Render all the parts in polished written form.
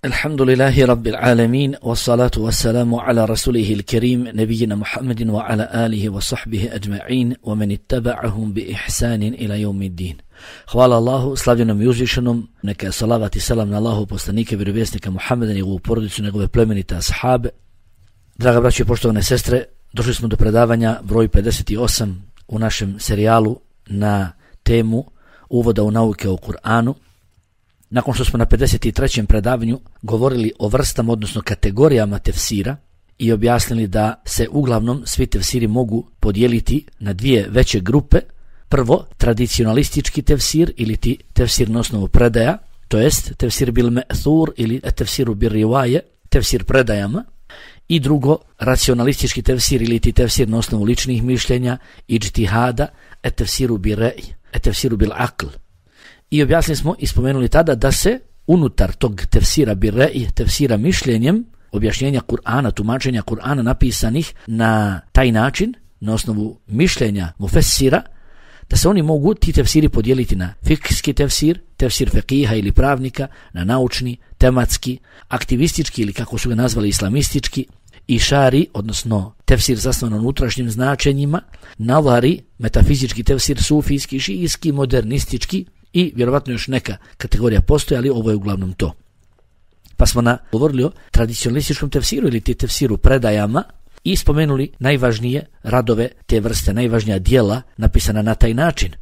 Alhamdulillahi Rabbil Alamin, wassalatu wassalamu ala rasulihi il-kerim, nebijina Muhammedin wa ala alihi wa sahbihi ajma'in, wa man ittaba'ahum bi ihsanin ila yawmiddin. Hvala Allahu, slavljenom i uzvišenom, neka je salavat i selam na Allahu poslanike, vjerovjesnika Muhammeda, njegovu porodicu, njegove plemenite ashabe. Draga braćo i poštovane sestre, došli smo do predavanja broj 58 u našem serijalu na temu uvoda u nauke o Kur'anu. Nakon što smo na 53. predavanju govorili o vrstama, odnosno kategorijama tefsira i objasnili da se uglavnom svi tefsiri mogu podijeliti na dvije veće grupe. Prvo, tradicionalistički tefsir ili tefsir na osnovu predaja, to jest tefsir bil me'thur ili tefsiru bil rivaje, tefsir predajama. I drugo, racionalistički tefsir ili tefsir na osnovu ličnih mišljenja, ijtihada, tefsiru bil ra'i, tefsiru bil aql. I objasnili smo i spomenuli tada da se unutar tog tefsira bil ra'i, tefsira mišljenjem, objašnjenja Kur'ana, tumačenja Kur'ana napisanih na taj način, na osnovu mišljenja mufessira, da se oni mogu ti tefsiri podijeliti na fikski tefsir, tefsir feqiha ili pravnika, na naučni, tematski, aktivistički ili kako su ga nazvali islamistički, i šari, odnosno tefsir zasnovan na unutrašnjim značenjima, navari, metafizički tefsir, sufijski, šijski, modernistički i vjerovatno još neka kategorija postoji, ali ovo je uglavnom to. Pa smo govorili o tradicionalističkom tefsiru ili tefsiru predajama i spomenuli najvažnije radove te vrste, najvažnija dijela napisana na taj način.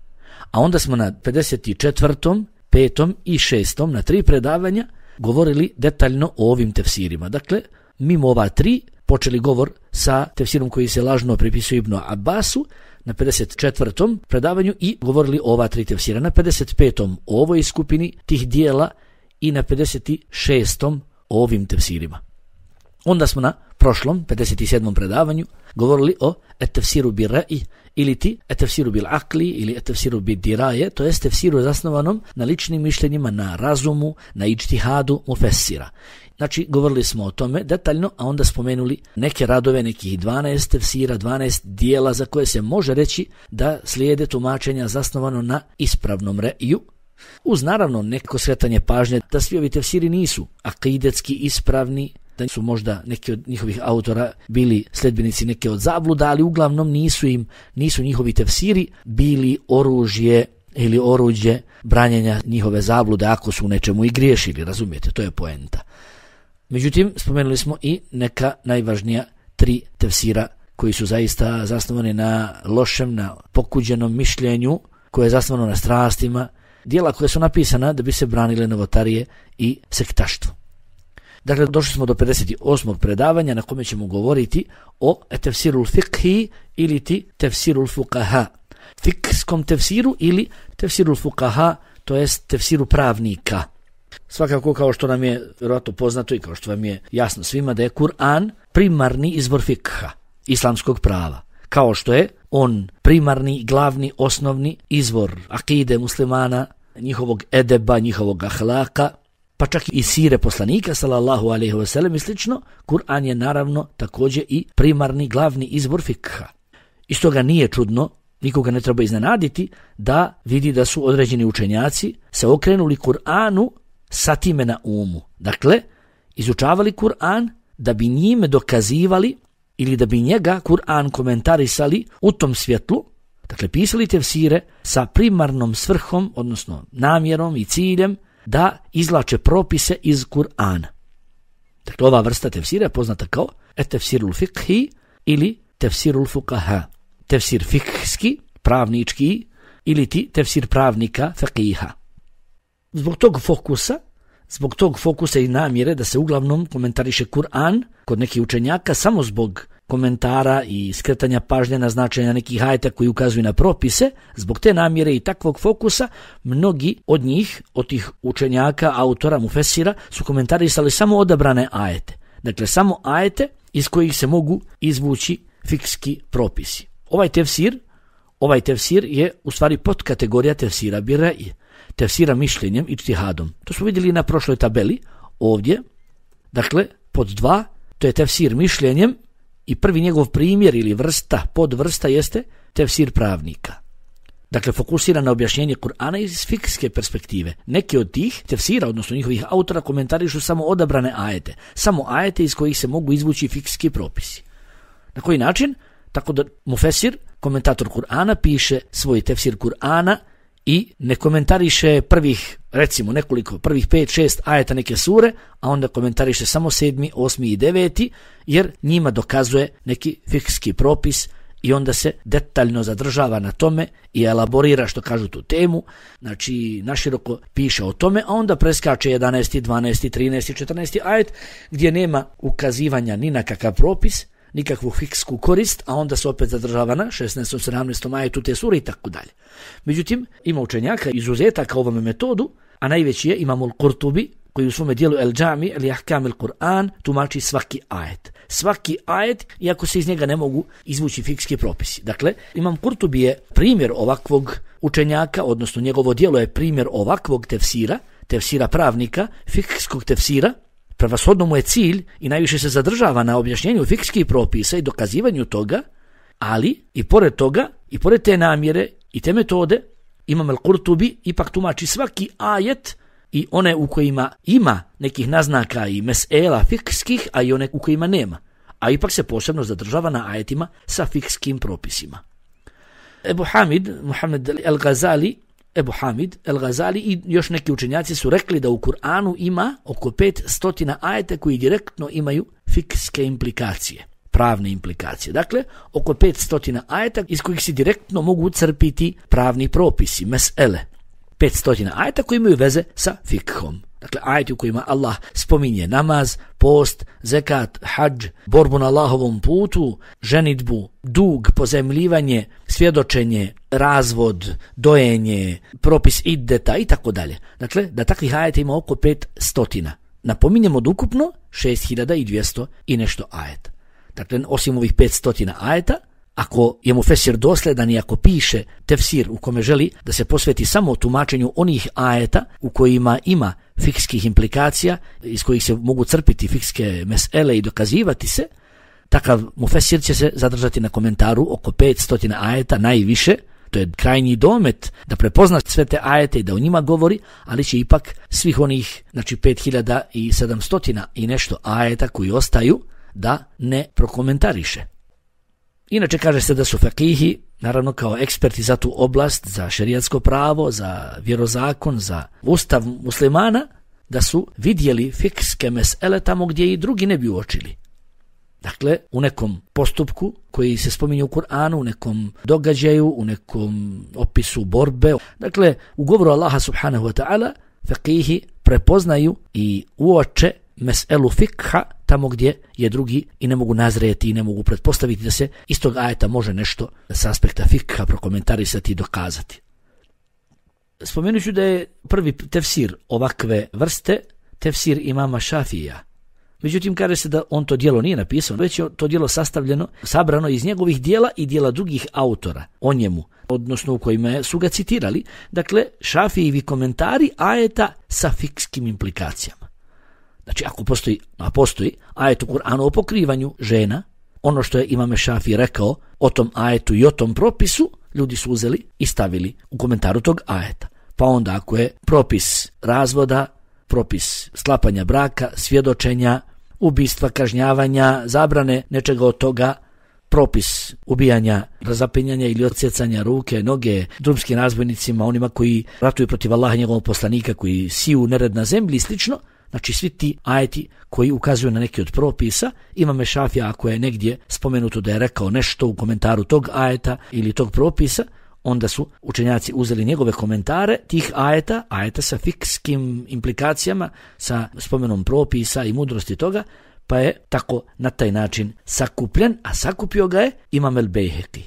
A onda smo na 54., 5. i 6. na 3 predavanja govorili detaljno o ovim tefsirima. Dakle, mimo ova 3 počeli govor sa tefsirom koji se lažno pripisuje Ibnu Abbasu na 54. predavanju i govorili o ova 3 tefsira. Na 55. o ovoj skupini tih dijela i na 56. o ovim tefsirima. Onda smo na prošlom 57. predavanju govorili o tefsiru bil ra'i ili tefsiru bil aqli ili tefsiru bil diraje, to jest tefsiru zasnovanom na ličnim mišljenjima, na razumu, na ijtihadu mufessira. Znači, govorili smo o tome detaljno, a onda spomenuli neke radove, nekih 12 tefsira, 12 dijela za koje se može reći da slijede tumačenja zasnovano na ispravnom re'iju, uz naravno neko skretanje pažnje da svi ovi tefsiri nisu akidetski ispravni, da su možda neki od njihovih autora bili sledbenici neke od zabluda, ali uglavnom nisu njihovi tefsiri bili oružje ili oruđe branjenja njihove zablude ako su u nečemu i griješili, razumijete, to je poenta. Međutim, spomenuli smo i neka najvažnija 3 tefsira koji su zaista zasnovani na lošem, na pokuđenom mišljenju, koje je zasnovano na strastima, dijela koje su napisana da bi se branile novotarije i sektaštvo. Dakle, došli smo do 58. predavanja na kome ćemo govoriti o tefsirul fiqhi ili tefsirul fuqaha. Fikskom tefsiru ili tefsirul fuqaha, to jest tefsiru pravnika. Svakako, kao što nam je vjerojatno poznato i kao što vam je jasno svima, da je Kur'an primarni izvor fikha, islamskog prava. Kao što je on primarni, glavni, osnovni izvor akide muslimana, njihovog edeba, njihovog ahlaka, pa čak i sire poslanika sallallahu alejhi ve sellem i slično, Kur'an je naravno također i primarni, glavni izvor fikha. I stoga nije čudno, nikoga ne treba iznenaditi, da vidi da su određeni učenjaci se okrenuli Kur'anu sa time na umu. Dakle, izučavali Kur'an da bi njime dokazivali ili da bi njega Kur'an komentarisali u tom svjetlu. Dakle, pisali tefsire sa primarnom svrhom, odnosno namjerom i ciljem da izvlače propise iz Kur'ana. Dakle, ova vrsta tefsira je poznata kao tefsirul fiqhi ili tefsirul fuqaha. Tefsir fikski, pravnički, ili tefsir pravnika, faqiha. Zbog tog fokusa i namjere da se uglavnom komentariše Kur'an kod nekih učenjaka samo zbog komentara i skretanja pažnje na značenja nekih ajeta koji ukazuju na propise, zbog te namjere i takvog fokusa, mnogi od njih, od tih učenjaka, autora, mufessira, su komentarisali samo odabrane ajete. Dakle, samo ajete iz kojih se mogu izvući fikski propisi. Ovaj tefsir je u stvari podkategorija tefsira bil ra'i, tefsira mišljenjem i ijtihadom. To smo vidjeli na prošloj tabeli ovdje. Dakle, pod 2, to je tefsir mišljenjem i prvi njegov primjer ili podvrsta jeste tefsir pravnika. dakle fokusira na objašnjenje Kur'ana iz fikske perspektive. Neki od tih tefsira, odnosno njihovih autora, komentarišu samo odabrane ajete, samo ajete iz kojih se mogu izvući fikski propisi. Na koji način? Tako da mufesir, komentator Kur'ana, piše svoj tefsir Kur'ana i ne komentariše prvih 5-6 ajeta neke sure, a onda komentariše samo 7., 8. i 9. jer njima dokazuje neki fikski propis i onda se detaljno zadržava na tome i elaborira, što kažu, tu temu, znači naširoko piše o tome, a onda preskače 11., 12., 13., 14. ajet gdje nema ukazivanja ni na kakav propis, nikakvu fiksku korist, a onda se opet zadržava na 16. 17. ajetu te sure i tako dalje. Međutim, ima učenjaka izuzetaka ovome metodu, a najveći je Imam al-Qurtubi, koji u svome dijelu El-Džami ili Ahkam al-Qur'an tumači svaki ajet. Svaki ajet, iako se iz njega ne mogu izvući fikski propisi. Dakle, Imam Qurtubi je primjer ovakvog učenjaka, odnosno njegovo dijelo je primjer ovakvog tefsira pravnika, fikskog tefsira. Prevashodno mu je cilj i najviše se zadržava na objašnjenju fikskih propisa i dokazivanju toga, ali i pored toga, i pored te namjere i te metode, Imam al-Qurtubi ipak tumači svaki ajet i one u kojima ima nekih naznaka i mesela fikskih, a i one u kojima nema. A ipak se posebno zadržava na ajetima sa fikskim propisima. Ebu Hamid, Muhammed el-Ghazali i još neki učenjaci su rekli da u Kur'anu ima oko 500 ajeta koji direktno imaju fikske implikacije, pravne implikacije. Dakle, oko 500 ajeta iz kojih se direktno mogu crpiti pravni propisi, mesele. 500 ajeta koji imaju veze sa fikhom. Dakle, ajeti u kojima Allah spominje namaz, post, zekat, hadž, borbu na Allahovom putu, ženidbu, dug, pozemljivanje, svjedočenje, razvod, dojenje, propis iddeta i tako dalje. Dakle, da takvih ajeta ima oko 500. Napominjemo od ukupno 6200 i nešto ajeta. Dakle, osim ovih 500 ajeta, ako je mufesir dosledan i ako piše tefsir u kome želi da se posveti samo tumačenju onih ajeta u kojima ima fikskih implikacija, iz kojih se mogu crpiti fikske mesele i dokazivati se, takav mufesir će se zadržati na komentaru oko 500 ajeta najviše. To je krajnji domet da prepozna sve te ajete i da o njima govori, ali će ipak svih onih, znači 5700 i nešto ajeta koji ostaju da ne prokomentariše. Inače kaže se da su fakihi, naravno kao eksperti za tu oblast, za šerijatsko pravo, za vjerozakon, za ustav muslimana, da su vidjeli fikske mesele tamo gdje i drugi ne bi uočili. Dakle, u nekom postupku koji se spominje u Kur'anu, u nekom događaju, u nekom opisu borbe. Dakle, u govoru Allaha subhanahu wa ta'ala, fakihi prepoznaju i uoče meselu fikha tamo gdje je drugi i ne mogu nazrijeti i ne mogu pretpostaviti da se iz tog ajeta može nešto s aspekta fikha prokomentarisati i dokazati. Spomenut ću da je prvi tefsir ovakve vrste tefsir imama Šafija. Međutim, kaže se da on to djelo nije napisao, već je to djelo sabrano iz njegovih djela i djela drugih autora o njemu, odnosno u kojima su ga citirali. Dakle, Šafijevi komentari ajeta sa fikskim implikacijama. Znači, ako postoji ajet u Kur'anu o pokrivanju žena, ono što je imam Šafij rekao o tom ajetu i o tom propisu, ljudi su uzeli i stavili u komentaru tog ajeta. Pa onda ako je propis razvoda, propis sklapanja braka, svjedočenja, ubistva, kažnjavanja, zabrane nečega od toga, propis ubijanja, razapinjanja ili odsjecanja ruke, noge drumskim razbojnicima, onima koji ratuju protiv Allaha i njegovog poslanika, koji siju nered na zemlji i slično. Znači, svi ti ajeti koji ukazuju na neki od propisa, imam Šafija ako je negdje spomenuto da je rekao nešto u komentaru tog ajeta ili tog propisa, onda su učenjaci uzeli njegove komentare tih ajeta sa fikskim implikacijama, sa spomenom propisa i mudrosti toga, pa je tako na taj način sakupljen, a sakupio ga je Imam el-Bejheqi,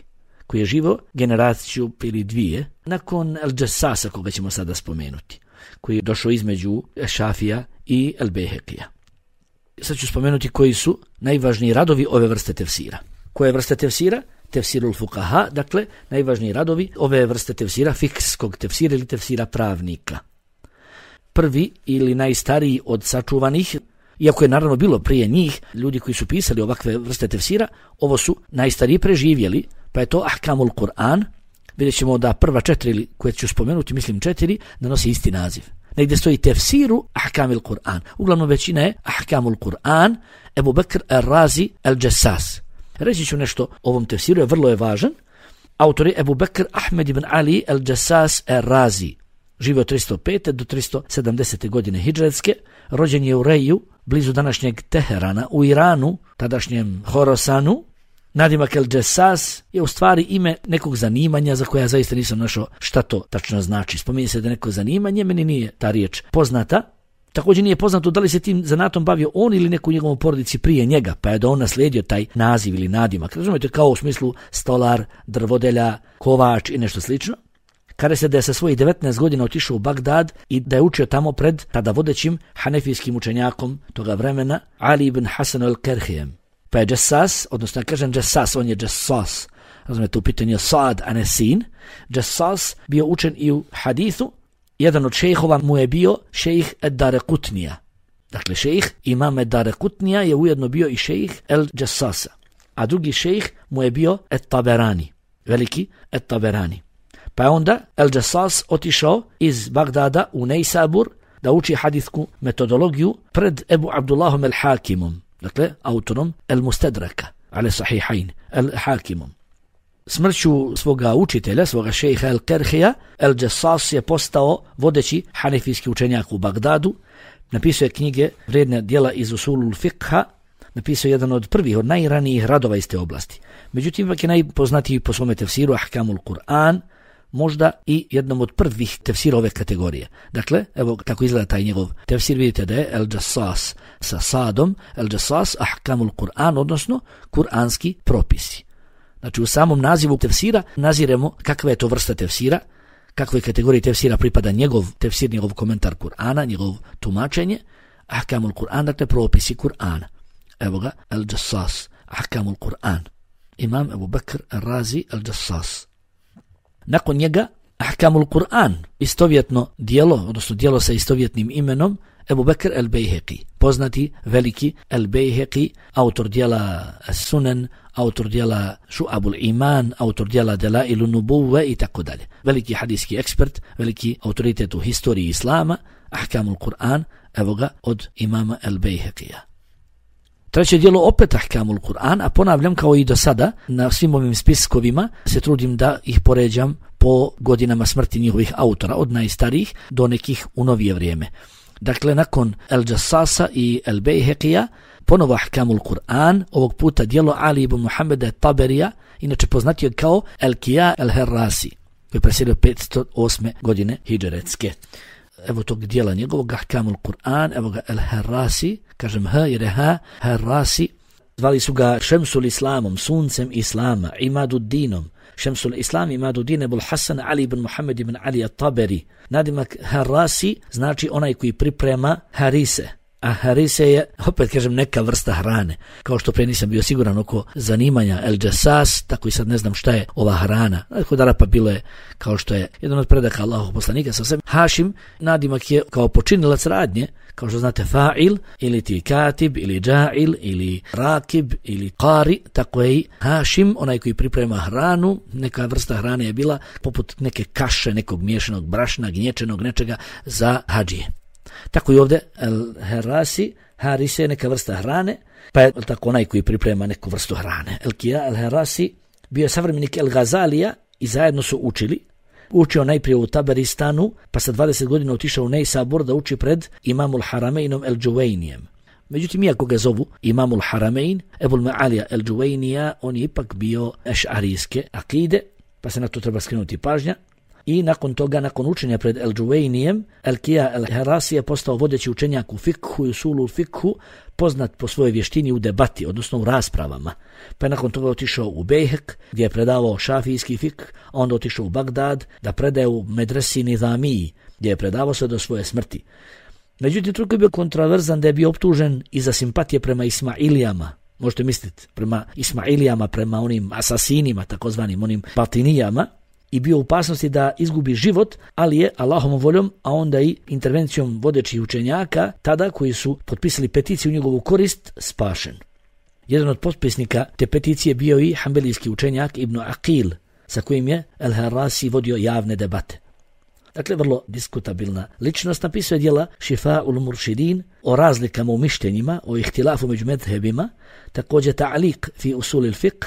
koji je živio generaciju ili dvije nakon el-Džessasa, koga ćemo sada spomenuti, koji je došao između Šafija i el-Bejheqija. Sad ću spomenuti koji su najvažniji radovi ove vrste tefsira. Koje vrste tefsira? Tefsirul fukaha, dakle najvažniji radovi ove vrste tefsira, fikskog tefsira ili tefsira pravnika. Prvi ili najstariji od sačuvanih, iako je naravno bilo prije njih ljudi koji su pisali ovakve vrste tefsira, ovo su najstariji preživjeli, pa je to Ahkamul Kur'an, vidjet ćemo da prva 4 ili koje ću spomenuti, mislim 4, da nosi isti naziv. Negdje stoji tefsiru ahkamil Kur'an. Uglavnom većina je ahkamul Kur'an, Ebu Bekr al-Razi al-Jassas. Reći ću nešto o ovom tefsiru, je vrlo je važan. Autor je Ebu Bekr Ahmed ibn Ali al-Jassas al-Razi. Živio 305. do 370. godine hidžretske. Rođen je u Reju, blizu današnjeg Teherana, u Iranu, tadašnjem Horosanu. Nadimak al-Jassas je u stvari ime nekog zanimanja za koje ja zaista nisam našao šta to tačno znači. Spominje se da neko zanimanje, meni nije ta riječ poznata. Također nije poznato da li se tim zanatom bavio on ili neko u njegovom porodici prije njega, pa je da on naslijedio taj naziv ili nadimak. Razumijete, kao u smislu stolar, drvodelja, kovač i nešto slično. Kaže se da je sa svojih 19 godina otišao u Bagdad i da je učio tamo pred tada vodećim hanefijskim učenjakom toga vremena, Ali ibn Hasan al-Kerhijem. Pa je Jassas, odnosno ja kažem Jassas, on je Jassas. Razumijete, u pitanju Sad, a ne Sin. Jassas bio učen i u hadithu. Jedan od šejhova mu je bio šejh Ad-Darekutnija. Dakle, šejh imam Ad-Darekutnija je ujedno bio i šejh El-Jassasa. A drugi šejh mu je bio At-Taberani, veliki At-Taberani. Pa je onda El-Jassas otišao iz Bagdada u Nejsabur da uči hadithsku metodologiju pred Ebu Abdullahom el-Hakimom, dakle, autorom El-Mustadraka, ale sahihain, El-Hakimom. Smrću svoga učitelja, svoga šejha El-Kerhija, El-Jassas je postao vodeći hanefijski učenjak u Bagdadu, napisao je knjige, vrijedne djela iz usulul fikha, napisao je jedan od prvih, od najranijih radova iz te oblasti. Međutim, ipak je najpoznatiji po svome tefsiru Ahkamul Kur'an, možda i jednom od prvih tefsira ove kategorije. Dakle, evo kako izgleda taj njegov tefsir, vidite da je El-Jassas sa sadom, El-Jassas Ahkamul Kur'an, odnosno kuranski propisi. Znači u samom nazivu tefsira naziremo kakva je to vrsta tefsira, kakvoj kategoriji tefsira pripada njegov tefsir, njegov komentar Kur'ana, njegov tumačenje, Ahkamul Kur'an, dakle propisi Kur'ana. Evo ga, El-Jassas, Ahkamul Kur'an. Imam Ebu Bekr al-Razi al-Jassas. Nakon njega, Ahkamul Kur'an, istovjetno dijelo, odnosno dijelo sa istovjetnim imenom, Ebu Bekr el-Bejheqi, poznati veliki el-Bejheqi, autor dijela Sunan, autor dijela Šu'abul Iman, autor dijela Delailu Nubuve i tako dalje. Veliki hadijski ekspert, veliki autoritet u historiji Islama, Ahkamul Kur'an, evo ga od imama el-Bejheqija. Treće dijelo opet Ahkamul Kur'an, a ponavljam kao i do sada, na svim ovim spiskovima se trudim da ih poređam po godinama smrti njihovih autora, od najstarijih do nekih u novije vrijeme. Dakle, nakon El-Jassasa i El-Bejheqija, ponovo Ahkamul Kur'an, ovog puta dijelo Ali ibn Muhammeda Taberija, inače poznatio kao El-Kija El-Herrasi, koji je preselio 508. godine hidžretske. Evo tog dijela njegovog Ahkamul Kur'an, evo ga El-Herrasi, kažem H jer je H, Herrasi, zvali su ga Šemsul Islamom, suncem Islama, Imadudinom, Šemsul Islam, Imadudin Ebul Hasan, Ali ibn Muhammed ibn Ali at-Taberi. Nadimak Herrasi znači onaj koji priprema harise. A harise je, opet kažem, neka vrsta hrane. Kao što pre nisam bio siguran oko zanimanja El-Jassas, tako i sad ne znam šta je ova hrana. Kod Arapa bilo je, kao što je jedan od predaka Allahov poslanika sa sebi. Hašim, nadimak je kao počinilac radnje, kao što znate fa'il, ili ti katib, ili dža'il, ili rakib, ili qari, tako je i Hašim, onaj koji priprema hranu. Neka vrsta hrane je bila poput neke kaše, nekog miješanog brašna, gnječenog nečega za hadžije. Tako i ovdje El-Herrasi, harise je neka vrsta hrane, pa je tako onaj koji priprema neku vrstu hrane. El-Kija El-Herrasi bio je savremenik El-Gazalija i zajedno su učili. Učio najprije u Taberistanu, pa sa 20 godina otišao u Nejsabur da uči pred imamul Haramejnom El-Džuvejnijem. Međutim, iako ga zovu imamul Haramein, Ebul Ma'alija El-Džuvejnija, on je ipak bio ešarijske akide, pa se na to treba skrenuti pažnja. I nakon toga, nakon učenja pred El-Džuvejnijem, El-Kija El-Herrasi je postao vodeći učenjak u fikhu i usulul fikhu, poznat po svojoj vještini u debati, odnosno u raspravama. Pa je nakon toga otišao u Bejhek, gdje je predavao šafijski fikh, a onda otišao u Bagdad da predaje u Medresi Nizamiji, gdje je predavao se do svoje smrti. Međutim, toliko je bio kontroverzan da je bio optužen i za simpatije prema Ismailijama. Možete misliti, prema Ismailijama, prema onim asasinima, takozvanim onim batinijama, i bio u opasnosti da izgubi život, ali je Allahovom voljom, a onda i intervencijom vodećih učenjaka, tada koji su potpisali peticiju u njegovu korist, spašen. Jedan od potpisnika te peticije bio i hanbelijski učenjak Ibn Aqil, sa kojim je El-Harasi vodio javne debate. Dakle, vrlo diskutabilna ličnost. Napisao je djela Šifa'ul Muršidin o razlikama u mišljenjima, o ihtilafu među medhebima, također Ta'liq fi usulil fiqh,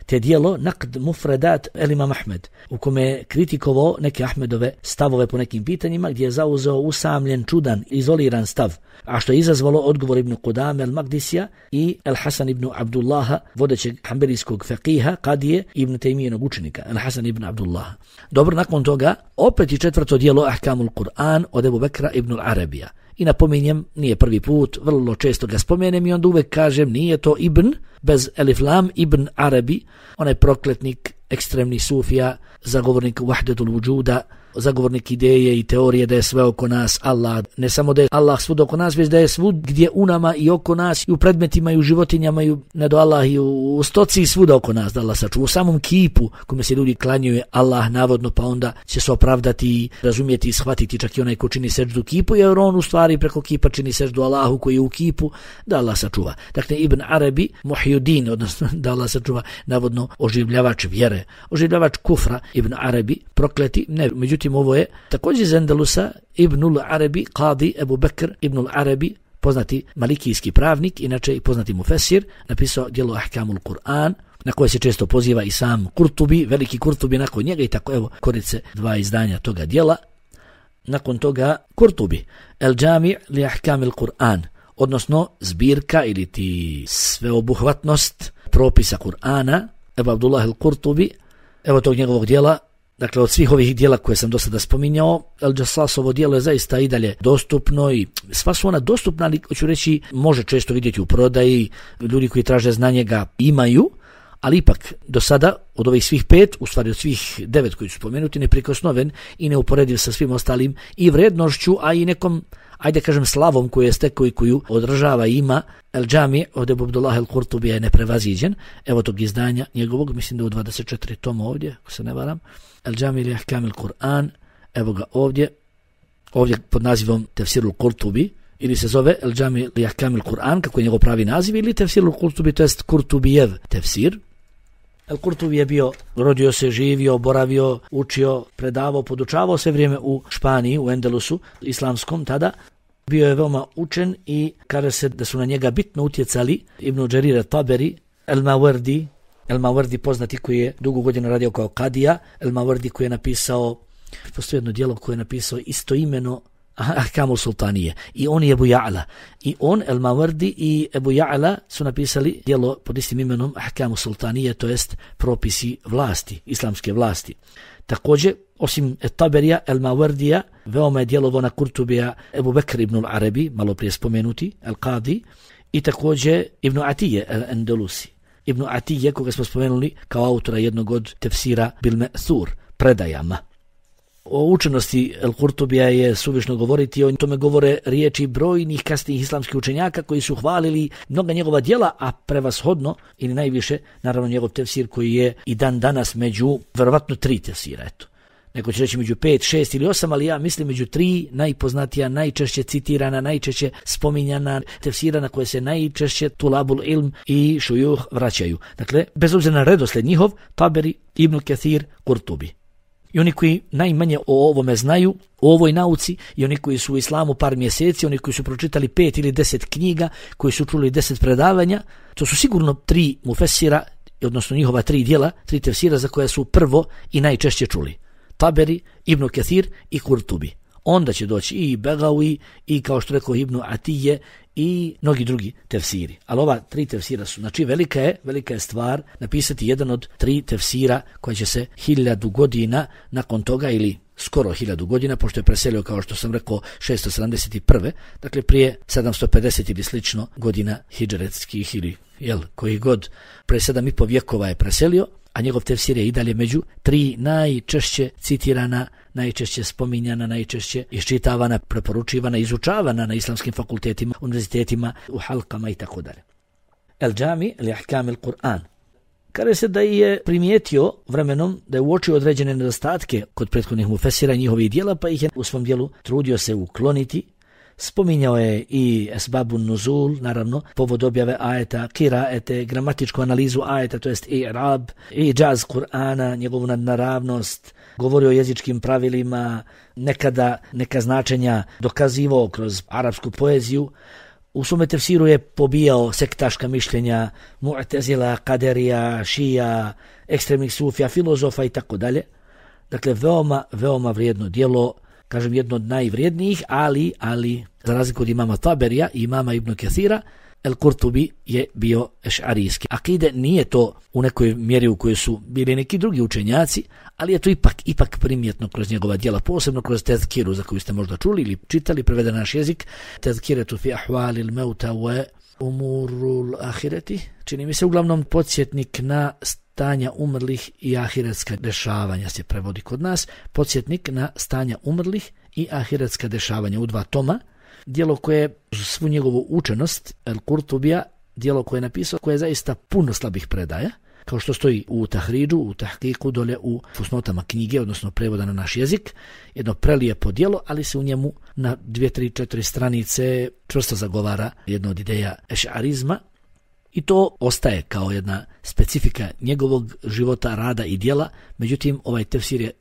te djelo Naqd Mufradat el-Imam Ahmed, u kome je kritikovao neke Ahmedove stavove po nekim pitanjima, gdje je zauzeo usamljen, čudan, izoliran stav, a što je izazvalo odgovor Ibn Qudame el-Magdisija i El-Hasan ibn Abdullaha, vodećeg hanbelijskog feqiha, kadije Ibn Tejmijenog učenika, El-Hasan ibn Abdullaha. Dobro, nakon toga, opet i četvrto djelo Ahkamul Kur'an od Ebu Bekra ibn al-Arabija. I napominjem, nije prvi put, vrlo često ga spomenem i onda uvek kažem, nije to Ibn, bez Elif Lam, Ibn Arabi, onaj prokletnik, ekstremni sufija, zagovornik vahdetul vujuda, zagovornik ideje i teorije da je sve oko nas Allah. Ne samo da je Allah svud oko nas, već da je svud gdje u nama i oko nas, i u predmetima, i u životinjama, i ne do Allah, i u stoci, i svuda oko nas, da Allah sačuva. U samom kipu kome se ljudi klanjuju Allah navodno, pa onda će se opravdati, razumjeti i shvatiti čak i onaj ko čini seždu kipu, jer on u stvari preko kipa čini seždu Allahu koji je u kipu, da Allah sačuva. Dakle, Ibn Arabi, Muhyiddin, odnosno da Allah sačuva, navodno oživljavač vjere, oživljavač kufra, Ibn Arabi, prokleti, ne, međutim ovo je također iz Endelusa, Ibnul Arabi, Qadi Ebu Bekr Ibnul Arabi, poznati malikijski pravnik, inače i poznati mufesir, napisao djelo Ahkamul Kur'an, na koje se često poziva i sam Kurtubi, veliki Kurtubi nakon njega, i tako evo korice dva izdanja toga djela. Nakon toga Kurtubi, El Džami li Ahkamil Kur'an, odnosno zbirka ili ti sveobuhvatnost propisa Kur'ana, Ebu Abdullah el Kurtubi, evo tog njegovog djela. Dakle, od svih ovih dijela koje sam do sada spominjao, El-Jassasovo dijelo je zaista i dalje dostupno i sva su ona dostupna, ali hoću reći, može često vidjeti u prodaji, ljudi koji traže znanje ga imaju, ali ipak do sada od ovih svih 5, u stvari od svih 9 koji su spomenuti, neprikosnoven i neuporediv sa svim ostalim i vrednošću, a i nekom, ajde kažem, slavom koju je stekao i koju održava i ima. El Džami od Ebu Abdullah el Kurtubija je neprevaziđen. Evo tog izdanja njegovog, mislim da u 24 toma ovdje, ako se ne varam. El Džami li Ahkamil Kur'an, evo ga ovdje pod nazivom Tefsirul Kurtubi, ili se zove El Džami li Ahkamil Kur'an, kako je njegov pravi naziv, ili Tefsirul Kurtubi, to jest Kurtubijev tefsir. El Kurtubi je bio, rodio se, živio, boravio, učio, predavao, podučavao sve vrijeme u Španiji, u Endelusu, islamskom tada. Bio je veoma učen i kaže se da su na njega bitno utjecali Ibn Đarir Taberi, El-Mawardi poznati koji je dugo godina radio kao kadija, El-Mawardi koji je napisao, postoji jedno djelo koje je napisao istoimeno Ahkamul Sultanije, i on je Ebu Ja'la. I on, El-Mawardi i Ebu Ja'la su napisali djelo pod istim imenom Ahkamul Sultanije, to jest propisi vlasti, islamske vlasti. Također, osim Taberija, El-Mawardija, veoma je djelovo na Kurtubija Ebu Bekr ibn al-Arabi, malo prije spomenuti, El-Qadi, i također Ibn Atije, El-Endelusi. Ibn Atije, koga smo spomenuli kao autora jednog od tefsira Bil Me'thur, predajama. O učenosti El-Kurtubija je suvišno govoriti, o tome govore riječi brojnih kasnijih islamskih učenjaka koji su hvalili mnoga njegova djela, a prevashodno ili najviše, naravno, njegov tefsir koji je i dan danas među verovatno 3 tefsira, eto. Neko će reći među 5, 6 ili 8, ali ja mislim među 3 najpoznatija, najčešće citirana, najčešće spominjana tefsira na koje se najčešće tulabul ilm i šujuh vraćaju. Dakle, bez obzira na redosled njihov, Taberi, Ibn Kathir, Kurtubi. I oni koji najmanje o ovome znaju, o ovoj nauci, i oni koji su u islamu par mjeseci, oni koji su pročitali 5 ili 10 knjiga, koji su čuli 10 predavanja, to su sigurno 3 mufesira, odnosno njihova 3 djela, 3 tefsira za koje su prvo i najčešće čuli. Taberi, Ibn Kathir i Kurtubi. Onda će doći i Begawi, i kao što rekao Ibn Atije, i mnogi drugi tefsiri. Ali ova 3 tefsira su, znači velika je stvar napisati jedan od 3 tefsira koji će se 1000 godina nakon toga, ili skoro 1000 godina, pošto je preselio, kao što sam rekao, 671. Dakle, prije 750 ili slično godina hidžretskih, ili koji god, pre 7,5 vjekova je preselio, a njegov tefsir je i dalje među 3 najčešće citirana, najčešće spominjana, najčešće iščitavana, preporučivana, izučavana na islamskim fakultetima, univerzitetima, u halkama i tako dalje. El Džami li Ahkamil Kur'an. Kaže se da je primijetio vremenom da je uočio određene nedostatke kod prethodnih mufesira i njihovih dijela, pa ih je u svom dijelu trudio se ukloniti. Spominjao je i esbabun nuzul, naravno, povod objave ajeta, kiraete, gramatičku analizu ajeta, to jest i'rab, i džaz Kur'ana, njegovu nadnaravnost, govorio o jezičkim pravilima, nekada neka značenja dokazivao kroz arapsku poeziju. U svome tefsiru je pobijao sektaška mišljenja Mu'tezila, Kaderija, Šija, ekstremnih sufija, filozofa i tako dalje. Dakle, veoma vrijedno djelo, kažem jedno od najvrijednijih, ali za razliku od imama Taberija i imama Ibn Kathira, El Kurtubi je bio ešarijski. Akide nije to u nekoj mjeri u kojoj su bili neki drugi učenjaci, ali je to ipak primjetno kroz njegova djela, posebno kroz tezkiru za koju ste možda čuli ili čitali, preveden naš jezik, tezkiretu fi ahvalil meuta wa umurul ahireti, čini mi se uglavnom podsjetnik na stanja umrlih i ahiretska dešavanja se prevodi kod nas, podsjetnik na stanja umrlih i ahiretska dešavanja u 2 toma, djelo koje svu njegovu učenost, El Kurtubija, djelo koje je napisao, koje je zaista puno slabih predaja, kao što stoji u tahridžu, u tahkiku, dole u fusnotama knjige, odnosno prevoda na naš jezik, jedno prelijepo djelo, ali se u njemu na 2, 3, 4 stranice čvrsto zagovara jedna od ideja ešarizma, i to ostaje kao jedna specifika njegovog života, rada i djela. Međutim, ovaj tefsir je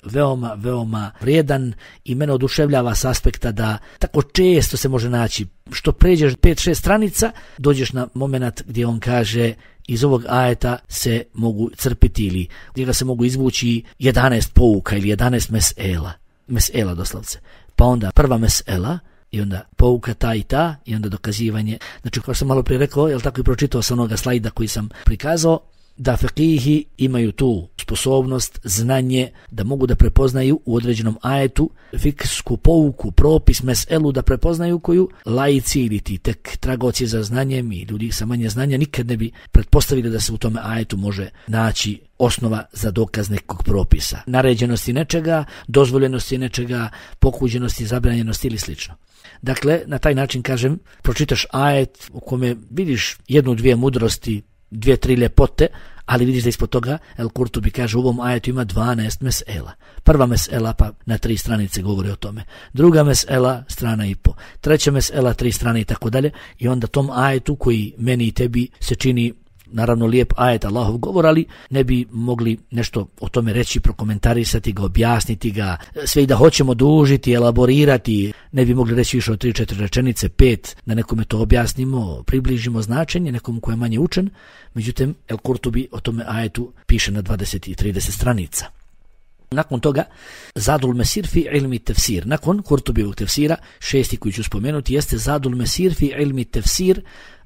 veoma vrijedan i mene oduševljava s aspekta da tako često se može naći, što pređeš 5-6 stranica, dođeš na moment gdje on kaže iz ovog ajeta se mogu crpiti ili gdje ga se mogu izvući 11 pouka ili 11 mesela doslovce. Pa onda prva mesela, i onda pouka ta i ta, i onda dokazivanje. Znači, kao sam malo prije rekao, jel tako i pročitao sam onoga slajda koji sam prikazao, da fekihi imaju tu sposobnost, znanje, da mogu da prepoznaju u određenom ajetu fiksku pouku, propis, meselu, da prepoznaju koju laici ili ti tek tragoci za znanjem i ljudi sa manje znanja nikad ne bi pretpostavili da se u tome ajetu može naći osnova za dokaz nekog propisa. Naređenosti nečega, dozvoljenosti nečega, pokuđenosti, zabranjenosti ili slično. Dakle, na taj način, kažem, pročitaš ajet u kome vidiš 1-2 mudrosti, 2-3 ljepote, ali vidiš da ispod toga El Kurtubi kaže u ovom ajetu ima 12 mesela. Prva mesela pa na 3 stranice govori o tome. Druga mesela, strana i po. Treća mesela, 3 strane i tako dalje. I onda tom ajetu koji meni i tebi se čini naravno lijep ajet Allahov govor, ali ne bi mogli nešto o tome reći, prokomentarisati ga, objasniti ga, sve i da hoćemo dužiti, elaborirati, ne bi mogli reći više od 3-4 rečenice, 5, da nekome to objasnimo, približimo značenje, nekom ko je manje učen. Međutim, El Kurtubi o tome ajetu piše na 20 i 30 stranica. Nakon toga, Zadul Mesir fi ilmi tefsir. Nakon Kurtubijevog tefsira, 6. koji ću spomenuti, jeste Zadul Mesir fi ilmi tefsir,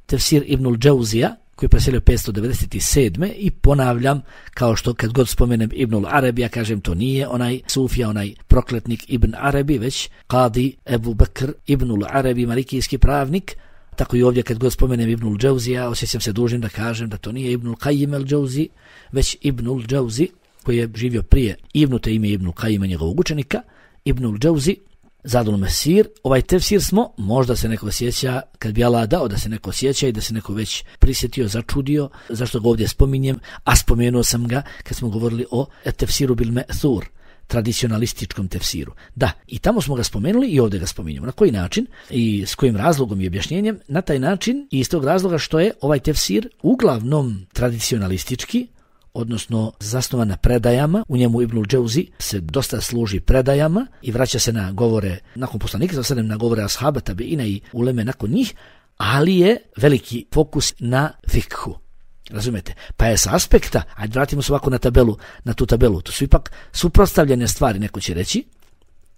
tefsir Ibnul Džauzija, koji je preselio 597. I ponavljam, kao što kad god spomenem Ibnul Arabi, ja kažem to nije onaj sufija, onaj prokletnik Ibn Arabi, već Qadi Ebu Bekr Ibnul Arabi, malikijski pravnik. Tako i ovdje kad god spomenem Ibnul Džauzija, osjećam se dužnim da kažem da to nije Ibnul Qajim el Džauzi, već Ibnul Džauzi, koji je živio prije Ibnute ime Ibnul Qajima, njegovog učenika. Ibnul Džauzi, Zadul Mesir. Ovaj tefsir smo, možda se neko sjeća, kad bi Allah dao da se neko sjeća i da se neko već prisjetio, začudio, zašto ga ovdje spominjem, a spomenuo sam ga kad smo govorili o tefsiru bil me'thur, tradicionalističkom tefsiru. Da, i tamo smo ga spomenuli i ovdje ga spominjamo. Na koji način i s kojim razlogom i objašnjenjem? Na taj način i iz tog razloga što je ovaj tefsir uglavnom tradicionalistički, odnosno zasnovan na predajama. U njemu Ibnul Džauzi se dosta služi predajama i vraća se na govore nakon poslanika, sada na govore ashaba, tabeina i uleme nakon njih, ali je veliki fokus na fikhu. Razumete? Pa je sa aspekta, ajde vratimo se ovako na tu tabelu, to su ipak suprotstavljene stvari, neko će reći,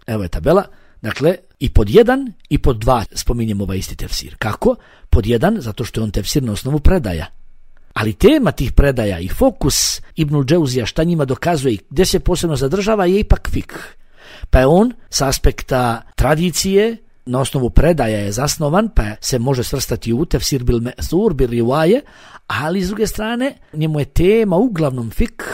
evo je tabela, dakle, i pod 1 i pod 2 spominjemo ovaj isti tefsir. Kako? Pod 1, zato što je on tefsir na osnovu predaja. Ali tema tih predaja i fokus Ibnul Džauzija, šta njima dokazuje i gdje se posebno zadržava, je ipak fikh. Pa je on sa aspekta tradicije, na osnovu predaja je zasnovan, pa se može svrstati u tefsir bil me'thur, bil rivaje, ali s druge strane njemu je tema uglavnom fikh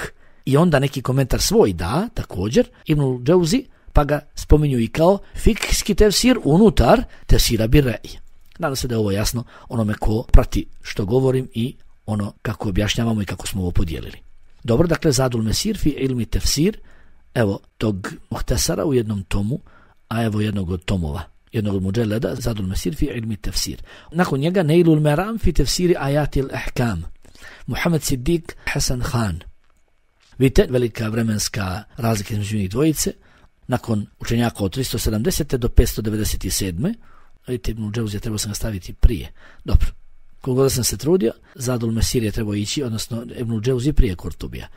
i onda neki komentar svoj da, također, Ibnul Džauzi, pa ga spominju i kao fikhski tefsir unutar tefsira bil rej. Nadam se da je ovo jasno onome ko prati što govorim i ono kako objašnjavamo i kako smo ovo podijelili. Dobro, dakle, Zadul Mesir fi ilmi tefsir, evo tog muhtasara u jednom tomu, a evo jednog od tomova. jednog od muđeleda, Zadul Mesir fi ilmi tefsir. Nakon njega Neilul Meram fi tefsiri ajatil ahkam, Muhammed Siddiq Hasan Khan. Vidite, velika vremenska razlika između njih dvojice. Nakon učenjaka od 370. do 597. Vidite, Ibn Džauzija trebao sam ga staviti prije. Dobro, koliko da sam se trudio, Zadul Mesir je trebao ići, odnosno Ibn Džauzija prije Kurtubija.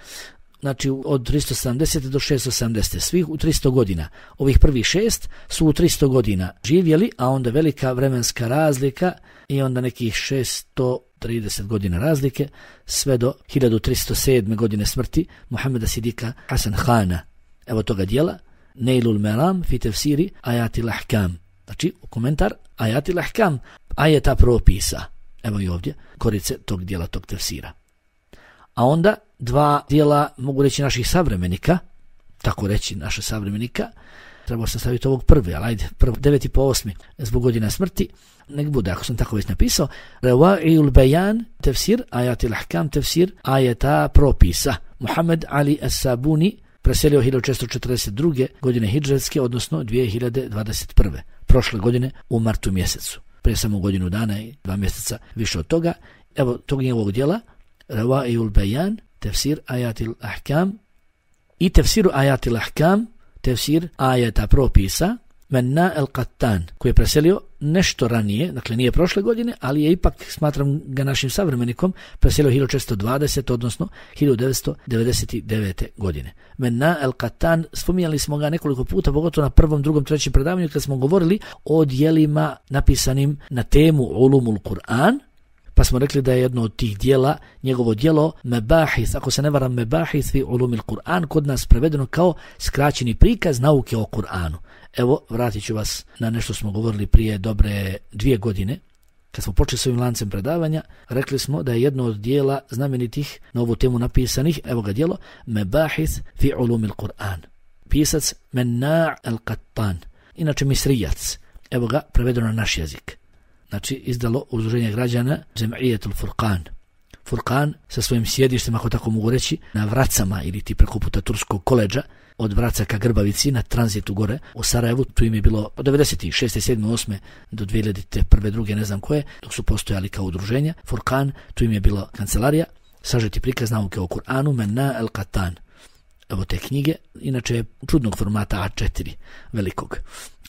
Znači od 370. do 670. Svih u 300 godina. Ovih prvih 6 su u 300 godina živjeli, a onda velika vremenska razlika i onda nekih 630 godina razlike, sve do 1307. godine smrti Muhammeda Sidika Hasan Khana. Evo toga dijela, Neilul Meram fi tefsiri ajatil ahkam. Znači, komentar ajatil ahkam, ajeta propisa. Evo i ovdje, korice tog dijela, tog tefsira. A onda dva dijela, mogu reći, naših savremenika, tako reći naša savremenika, trebao sam staviti ovog prvi, ali ajde, 9. po 8. zbog godina smrti, nek bude, ako sam tako već napisao, Rewa'iul Bayan, tefsir, ajatil ahkam, tefsir, ajeta propisa. Muhammed Ali As-Sabuni preselio 1642. godine hidžretske, odnosno 2021. prošle godine u martu mjesecu. Prije samo godinu dana i 2 mjeseca više od toga. Evo tog njegovog dijela, Rewa'iul Bayan, tefsir ajatil ahkam i tefsiru ajatil ahkam, tefsir ajeta propisa, Menna el-Qattan, koji je preselio nešto ranije, dakle nije prošle godine, ali je ipak, smatram ga našim savremenikom, preselio 1620, odnosno 1999. godine. Menna el-Qattan, spominjali smo ga nekoliko puta, pogotovo na 1., 2., 3. predavanju, kad smo govorili o dijelima napisanim na temu Ulumul Kur'an, pa smo rekli da je jedno od tih dijela, njegovo dijelo Mebahith, ako se ne varam, Mebahith fi Ulumil Kur'an, kod nas prevedeno kao skraćeni prikaz nauke o Kur'anu. Evo, vratit ću vas na nešto smo govorili prije dobre 2 godine, kad smo počeli s ovim lancem predavanja, rekli smo da je jedno od dijela znamenitih na ovu temu napisanih, evo ga dijelo, Mebahith fi Ulumil Kur'an. Pisac Menna el-Qattan, inače Misrijac, evo ga prevedeno na naš jezik. Znači, izdalo udruženje građana Džem'ijetul Furqan. Furqan sa svojim sjedištem, ako tako mogu reći, na Vracama ili ti preko puta Turskog koleđa, od Vraca ka Grbavici na tranzitu gore u Sarajevu. Tu im je bilo od 96. 7. 8. do 2001. 2. ne znam koje, dok su postojali kao udruženja. Furqan, tu im je bila kancelarija, sažeti prikaz nauke o Kur'anu, Menna el-Qattan. Evo te knjige, inače je čudnog formata A4, velikog.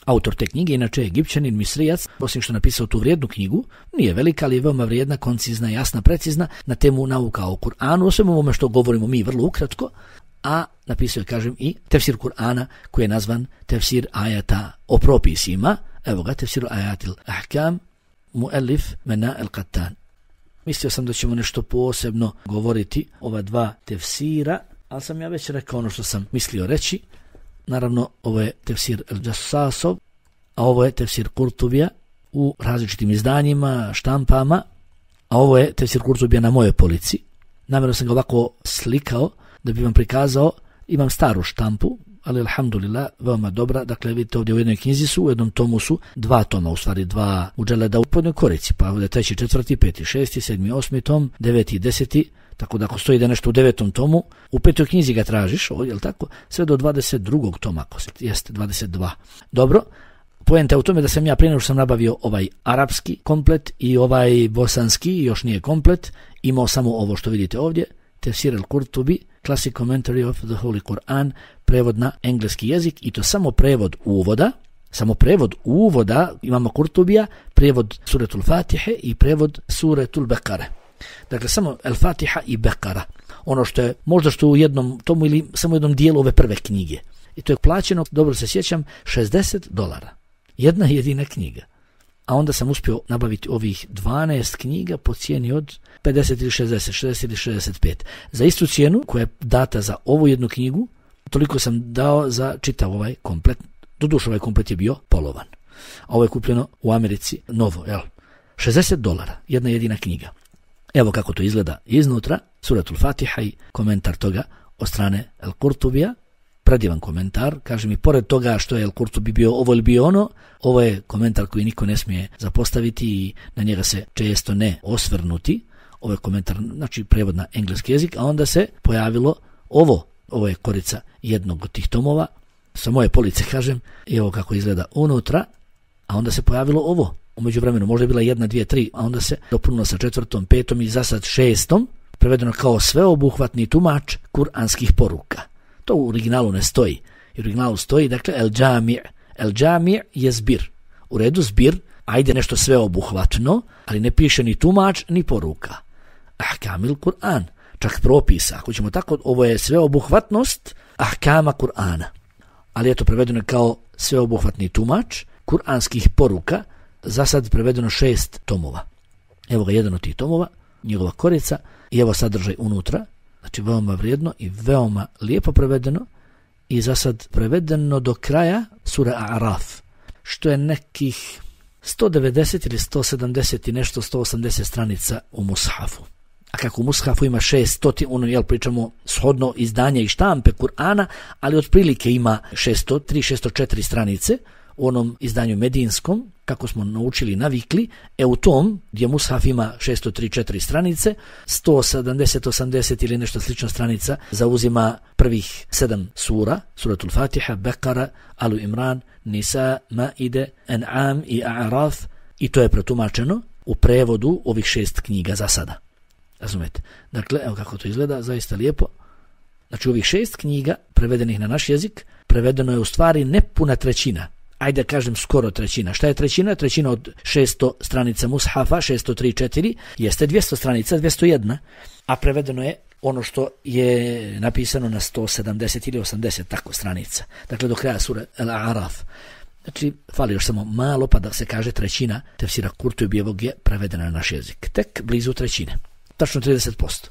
Autor te knjige, inače je Egipćanin, Misrijac, osim što napisao tu vrijednu knjigu, nije velika, ali je veoma vrijedna, koncizna, jasna, precizna, na temu nauka o Kur'anu, o svemu ovome što govorimo mi vrlo ukratko, a napisao je, kažem, i tefsir Kur'ana, koji je nazvan tefsir ajata o propisima, evo ga, tefsir ajatil ahkam, muellif Menna el-Qattan. Mislio sam da ćemo nešto posebno govoriti ova dva tefsira, ali sam ja već rekao ono što sam mislio reći. Naravno, ovo je tefsir el-Jassasov, a ovo je tefsir Kurtubija u različitim izdanjima, štampama, a ovo je tefsir Kurtubija na mojoj polici. Namjerno sam ga ovako slikao da bi vam prikazao, imam staru štampu, ali alhamdulillah, veoma dobra. Dakle, vidite ovdje u jednoj knjizi su, u jednom tomu su 2 toma, u stvari 2 udželeda u podnoj korici, pa ovdje 3., 4., 5., 6., 7., 8. tom, 9. i 10. Tako da ako stoji da nešto u 9. tomu, u 5. knjizi ga tražiš, jel tako, sve do 22. toma, ako se, jeste 22. Dobro, poenta je u tome da sam ja prije nego što sam nabavio ovaj arapski komplet i ovaj bosanski, još nije komplet, imao samo ovo što vidite ovdje, Tefsir el-Kurtubi, Classic Commentary of the Holy Quran, prevod na engleski jezik, i to samo prevod uvoda, imamo Kurtubija, prevod Suretul Fatihe i prevod Suretul Bekare. Dakle, samo El-Fatiha i Bekara. Ono što je, možda što u jednom tomu ili samo jednom dijelu ove prve knjige. I to je plaćeno, dobro se sjećam, $60. Jedna jedina knjiga. A onda sam uspio nabaviti ovih 12 knjiga po cijeni od 50 ili 60 ili 65. Za istu cijenu koja je data za ovu jednu knjigu, toliko sam dao za čitav ovaj komplet. Doduše ovaj komplet je bio polovan. A ovo je kupljeno u Americi novo, jel? $60, jedna jedina knjiga. Evo kako to izgleda iznutra, Suratul Fatiha i komentar toga od strane El-Kurtubija, predivan komentar, kažem, i pored toga što je El-Kurtubi bio ovo ili bio ono, ovo je komentar koji niko ne smije zapostaviti i na njega se često ne osvrnuti. Ovo je komentar, znači prevod na engleski jezik, a onda se pojavilo ovo je korica jednog od tih tomova, sa moje police kažem, i evo kako izgleda unutra, a onda se pojavilo ovo. U međuvremenu možda je bila 1, 2, 3, a onda se dopunilo sa 4., 5. i za sad 6. prevedeno kao sveobuhvatni tumač kuranskih poruka. To u originalu ne stoji. U originalu stoji, dakle, el džami' je zbir. U redu zbir, ajde nešto sveobuhvatno, ali ne piše ni tumač, ni poruka. Ahkamil Kur'an, čak propisa. Ako ćemo tako, ovo je sveobuhvatnost ahkama Kur'ana. Ali je to prevedeno kao sveobuhvatni tumač kuranskih poruka, za sad prevedeno 6 tomova. Evo ga jedan od tih tomova, njegova korica, i evo sadržaj unutra, znači veoma vrijedno i veoma lijepo prevedeno, i za sad prevedeno do kraja sura A'raf, što je nekih 190 ili 170 i nešto, 180 stranica u mushafu. A kako u mushafu ima 600, pričamo shodno izdanja i štampe Kur'ana, ali otprilike ima 603-604 stranice, u onom izdanju medinskom, kako smo naučili i navikli, u tom gdje mushaf ima 603-4 stranice, 170-80 ili nešto slično stranica zauzima prvih 7 sura, suratul Fatiha, Bekara, Alu Imran, Nisa, Maide, An'am i A'raf, i to je pretumačeno u prevodu ovih 6 knjiga za sada. Razumete? Dakle, evo kako to izgleda, zaista lijepo. Znači, ovih 6 knjiga prevedenih na naš jezik, prevedeno je u stvari nepuna trećina. Ajde kažem skoro trećina. Šta je trećina? Trećina od 600 stranica mushafa, 603-4, jeste 200 stranica, 201, a prevedeno je ono što je napisano na 170 ili 80 tako stranica. Dakle, do kraja sura Al-A'raf. Znači, fali još samo malo pa da se kaže trećina tefsira Kurtubijevog je prevedena na naš jezik. Tek blizu trećine. Tačno 30%.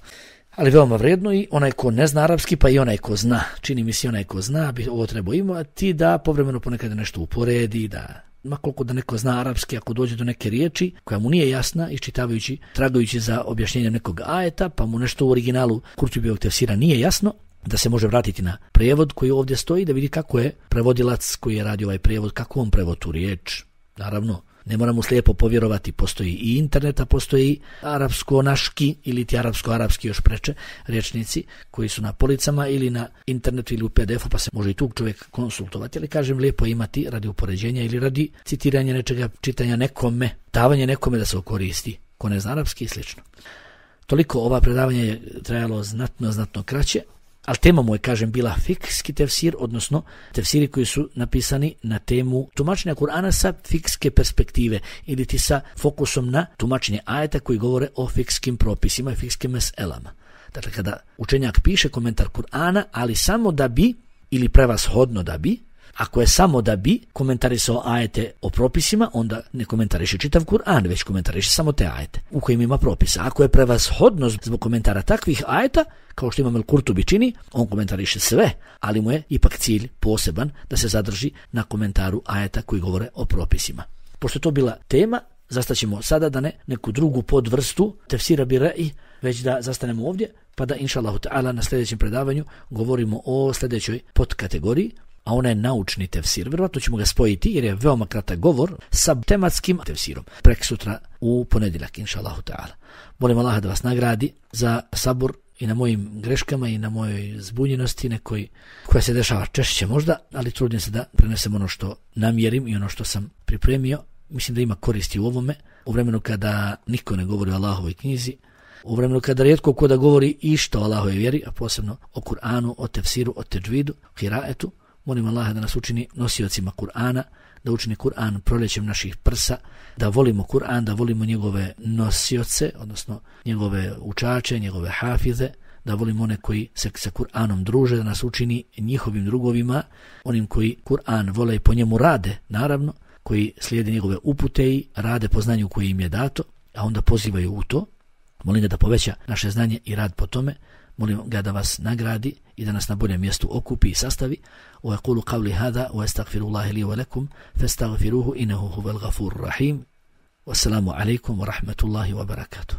Ali veoma vrijedno, i onaj ko ne zna arapski, pa i onaj ko zna, čini mi se onaj ko zna, bi ovo trebao imati da povremeno ponekad nešto uporedi, da makoliko da neko zna arapski, ako dođe do neke riječi koja mu nije jasna, iščitavajući, tragajući za objašnjenjem nekog ajeta, pa mu nešto u originalu Kurtubijevog tefsira nije jasno, da se može vratiti na prijevod koji ovdje stoji, da vidi kako je prevodilac koji je radio ovaj prijevod, kako on prevodi tu riječ. Naravno, ne moramo slijepo povjerovati, postoji i interneta, postoji arapsko-naški ili ti arapsko-arapski još preče rječnici koji su na policama ili na internetu ili u PDF-u, pa se može i tu čovjek konsultovati, ali kažem lijepo imati radi upoređenja ili radi citiranja nečega, čitanja nekome, davanje nekome da se okoristi, ko ne zna arapski i slično. Toliko, ova predavanje je trajalo znatno kraće, ali tema mu je, kažem, bila fikski tefsir, odnosno tefsiri koji su napisani na temu tumačenja Kur'ana sa fikske perspektive ili ti sa fokusom na tumačenje ajeta koji govore o fikskim propisima i fikskim meselama. Dakle, kada učenjak piše komentar Kur'ana, ali samo da bi, ili prevashodno da bi, ako je samo da bi komentarisao ajete o propisima, onda ne komentariše čitav Kur'an, već komentariše samo te ajete u kojim ima propisa. Ako je prevashodno zbog komentara takvih ajeta, kao što Imam el-Kurtubi čini, on komentariše sve, ali mu je ipak cilj poseban da se zadrži na komentaru ajeta koji govore o propisima. Pošto je to bila tema, zastaćemo sada da ne neku drugu podvrstu tefsira bi re'i, već da zastanemo ovdje, pa da inša Allahu ta'ala na sljedećem predavanju govorimo o sljedećoj podkategoriji, a ona je naučni tefsir. Vjerovatno ćemo ga spojiti jer je veoma kratak govor sa tematskim tefsirom. Prek sutra u ponedjeljak, inša Allahu ta'ala. Molim Allaha da vas nagradi za sabur i na mojim greškama i na mojoj zbunjenosti nekoj koja se dešava češće možda, ali trudim se da prenesem ono što namjerim i ono što sam pripremio. Mislim da ima koristi u ovome, u vremenu kada niko ne govori o Allahovoj knjizi, u vremenu kada rijetko ko da govori išta o Allahovoj vjeri, a posebno o Kur'anu, o tefsiru, o teđvidu, hiraetu. Molim Allaha da nas učini nosiocima Kur'ana, da učini Kur'an proljećem naših prsa, da volimo Kur'an, da volimo njegove nosioce, odnosno njegove učače, njegove hafize, da volimo one koji se sa Kur'anom druže, da nas učini njihovim drugovima, onim koji Kur'an vole i po njemu rade, naravno, koji slijede njegove upute i rade po znanju koje im je dato, a onda pozivaju u to. Molim ga da poveća naše znanje i rad po tome. Molim ga da vas nagradi i da nas na boljem mjestu okupi i sastavi. Wa yaqulu qawli hadha wa astaghfirullaha li wa lakum fastaghfiruhu innahu huwal ghafurur rahim. Wassalamu alaikum wa rahmatullahi wa barakatuh.